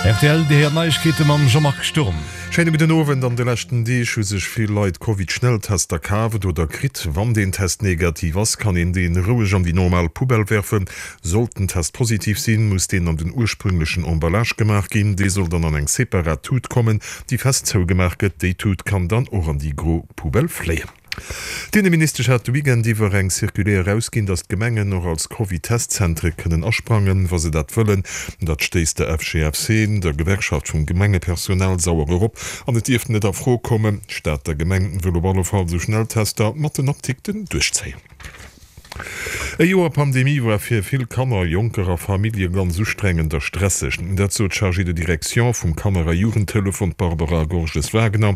Rtl, Dir héiert Neiegkeete mam Jean-Marc Sturm. Schéine gudden Owend. An de leschten Deeg hu sech vill Leit Covid-Schnelltester kaaft oder kritt. Wann deen Test negativ ass, kann een deen roueg an déi normal Poubelle werfen. Sollt den Test positiv sinn, muss deen an den ursprünglechen Emballage gemaach ginn. Dee soll dann an eng separat Tut kommen, déi fest zougemaach gëtt. Déi Tut kann dann och an déi gro Poubelle fléien. D'Inneministesch hat de Weekend iwwer eng Circulaire erausginn, datt d'Gemengen och als Covid-Testzentere kënnen asprangen, wa se dat wëllen. Dat stéisst der FGFC, der Gewerkschaft vum Gemengepersonal, sauer erop an et dierft net a Fro kommen. D'Stater Gemeng wëll op alle Fall sou Schnelltester mat den Apdikten duerchzéien. E Joer Pandemie war fir vill Kanner, Jonker a Famillje ganz ustrengend a stresseg. Dat sot d'Chargée de direction vum Kanner a Jugendtelefon, d'Barbara Gorges-Wagner.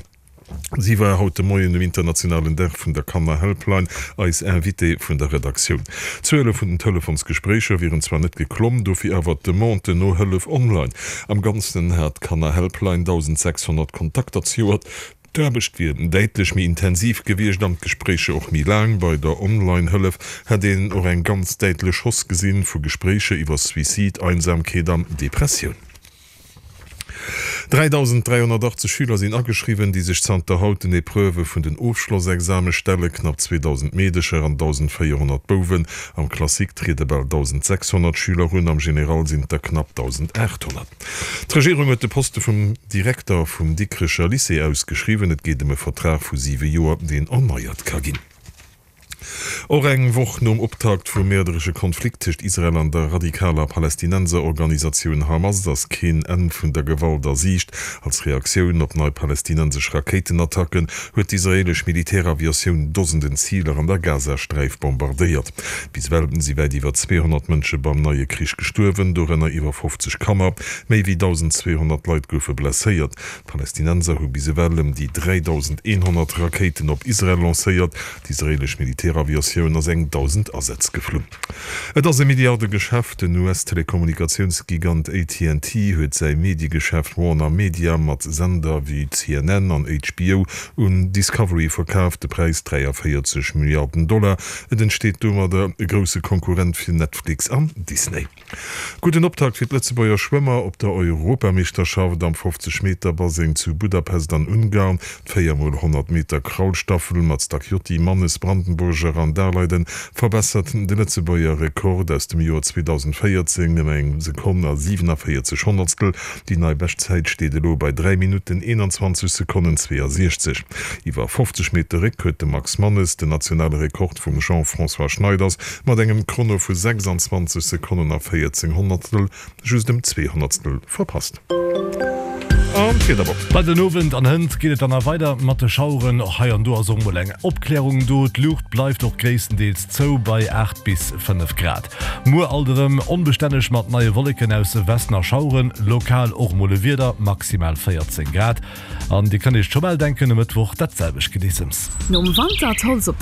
Si war haut de Moien um internationalen Dag vun der Kanner-Helpline eis Invitée vun der Redaktioun. D'Zuele vun den Telefonsgespréicher wieren zwar net geklomm, dofir awer d'Demande no Hëllef online. Am Ganzen hat d'Kanner-Helpline 1.600 Kontakter zejoert. D'Aarbecht wier däitlech méi intensiv gewiescht an d'Gespréicher och méi laang. Bei der Online-Hëllef hätt een och eng ganz däitlech Hausse gesinn vu Gespréicher iwwer Suicide, Einsamkeet an Depressioun. 3.380 Schüler sinn ageschriwwen, déi sech zanter haut den Epreuvë vun den Ofschlossexame stellen. Knapp 2.000 Meedecher an 1.400 Bouwen. Am Classique triede bal 1.600 Schüler un, am General sinn et der knapp 1.800. D'Regierung huet de Poste vum Direkter vum Dikrecher Lycée ausgeschriwwen. Et geet ëm e Vertrag vu siwe Joer, deen erneiert ka ginn. Och eng Woch nom Optakt vum mäerderesche Konflikt tëscht Israel an der radikaler Palästinenserorganisatioun Hamas ass keen Enn vun der Gewalt a Siicht. Als Reaktioun op nei palästinensesch Rakéitenattacken huet d'israeelesch Militäraviatioun Dosenden Ziler an der Gazasträif bombardéiert. Bis ewell si wäit iwwer 200 Mënsche beim neie Krich gestuerwen, dorënner iwwer 50 Kanner. Méi wéi 1.200 Leit goufe blesséiert. D'Palästinenser hu bis ewell ëm déi 3.100 Rakéiten op Israel lancéiert. D'israeelesch Militäraviatioun ass eng 1.000 Asätz geflunn. Et ass e Milliardegeschäft, Den US-Telekommunikatiounsgigant AT&T huet säi Mediegeschäft Warner Media mat Sender wéi CNN an HBO un Discovery verkaaft. De Präis, 43 Milliarden Dollar. Et entsteet domadder e grousse Konkurrent fir Netflix an Disney. Gudden Optakt fir d'Lëtzebuerger Schwëmmer op der Europameeschterschaft am 50 Meter Baseng zu Budapest an Ungarn. D'Véier mol 100 Meter Kraulstaffel mat Stacchiotti, Mannes, Brandenburger an Daleiden verbessert de Lëtzebuerger Rekord aus dem Joer 2014 ëm eng Sekonn a 47 Honnertstel. Déi nei Beschtzäit steet elo bei 3 Minutten 21 Sekonnen 62. Iwwer 50 Meter Réck huet de Max Mannes den nationale Rekord vum Jean-François Schneiders mat engem Chrono vu 26 Sekonnen a 14 Honnertstel just ëm zwee Honnertstel verpasst. An d'Wiederbox. Bei den Owend an hënt geet et dann nach weider mat de Schaueren. Och hei an do ass och mol eng Opklärung do. D'Luucht bleift och gréisstendeels zou bei 8 bis 5 Grad. Muer alt erëm onbestänneg mat neie Wolleken aus Westen a Schaueren, lokal och mol e Wieder, maximal 14 Grad. An Dir kënnt Iech scho bal denken, e Mëttwoch dat selwecht Gedeessems. Nom Wanter d'Holz op.